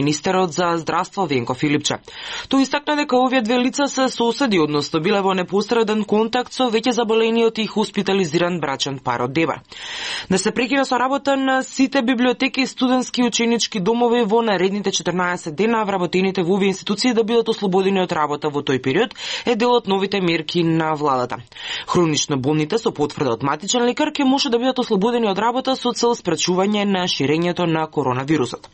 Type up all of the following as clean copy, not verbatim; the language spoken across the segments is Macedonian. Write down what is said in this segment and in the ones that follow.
Министерот за здравство Венко Филипче. Тој истакна дека овие две лица се соседи, односно биле во непосреден контакт со веќе заболениот и хоспитализиран брачен пар од Дебар. Да се прекина со работа на сите библиотеки, студентски и ученички домови во наредните 14 дена, вработените во овие институции да бидат ослободени од работа во тој период е дел од новите мерки на владата. Хронично болните со потврда од матичен лекар ќе може да бидат ослободени од работа со цел спречување на ширењето на коронавирусот.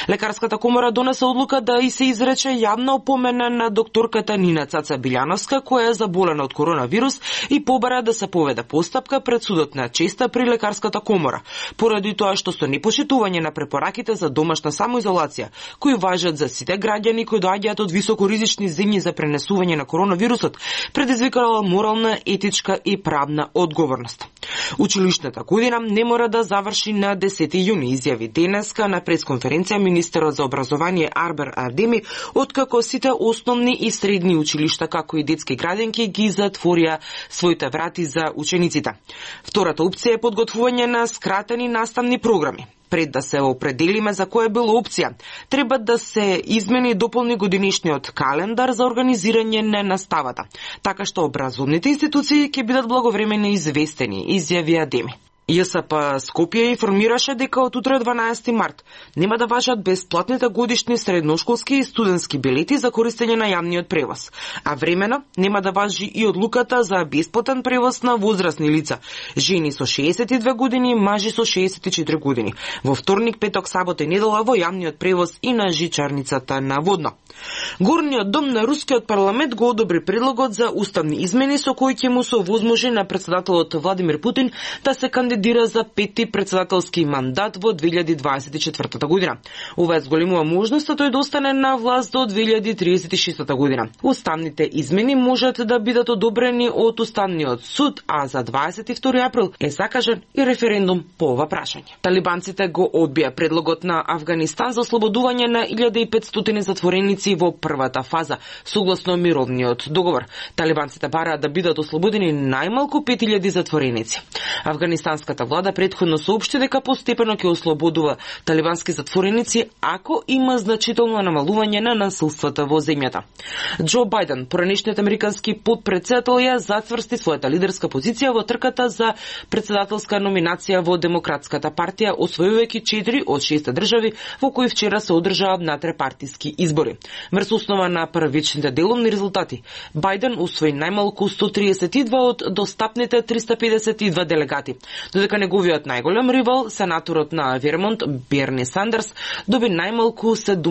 Лекарската комора донесе одлука да и се изрече јавна опомена на докторката Нина Цаца Билјановска, која е заболена од коронавирус и побара да се поведе постапка пред судот на честа при лекарската комора, поради тоа што со непошитување на препораките за домашна самоизолација, кои важат за сите граѓани кои доаѓаат од високоризични земји за пренесување на коронавирусот, предизвикала морална, етичка и правна одговорност. Училишната година не мора да заврши на 10 јуни, изјави денеска на пресконференција министерот за образование Арбер Ардеми, откако сите основни и средни училишта, како и детски градинки, ги затворија своите врати за учениците. Втората опција е подготвување на скратени наставни програми. Пред да се определиме за која била опција, треба да се измени и дополни годинишниот календар за организирање на наставата, така што образовните институции ќе бидат благовремено известени, изјави Адеми. ЈСП Скопје информираше дека од утре 12 март нема да важат бесплатните годишни средношколски и студентски билети за користење на јавниот превоз, а времено нема да важи и одлуката за бесплатен превоз на возрастни лица, жени со 62 години, мажи со 64 години, во вторник, петок, сабота и недела во јавниот превоз и на жичарницата на Водно. Горниот дом на Рускиот парламент го одобри предлогот за уставни измени со кои ќе му се овозможи на претседателот Владимир Путин да се кандидира за пети претседателски мандат во 2024 година. Ова зголемува можноста тој да остане на власт до 2036 година. Уставните измени можат да бидат одобрени од Уставниот суд, а за 22 април е закажан и референдум по ова прашање. Талибанците го одбија предлогот на Авганистан за ослободување на 1500 затвореници во првата фаза, согласно мировниот договор. Талибанците бараат да бидат ослободени најмалку 5000 затвореници. Афганистанската влада претходно соопшти дека постепено ќе ослободува талибански затвореници ако има значително намалување на насилствата во земјата. Џо Бајден, поранешниот американски потпредседател, ја зацврсти својата лидерска позиција во трката за претседателска номинација во Демократската партија, освојувајќи 4 од 6 држави во кои вчера се одржаа надтрепартиски избори. Врз основа на првичните делумни резултати, Бајден усвои најмалку 132 од достапните 352 делегати, додека неговиот најголем ривал, сенаторот на Вермонт Берни Сандерс, доби најмалку 7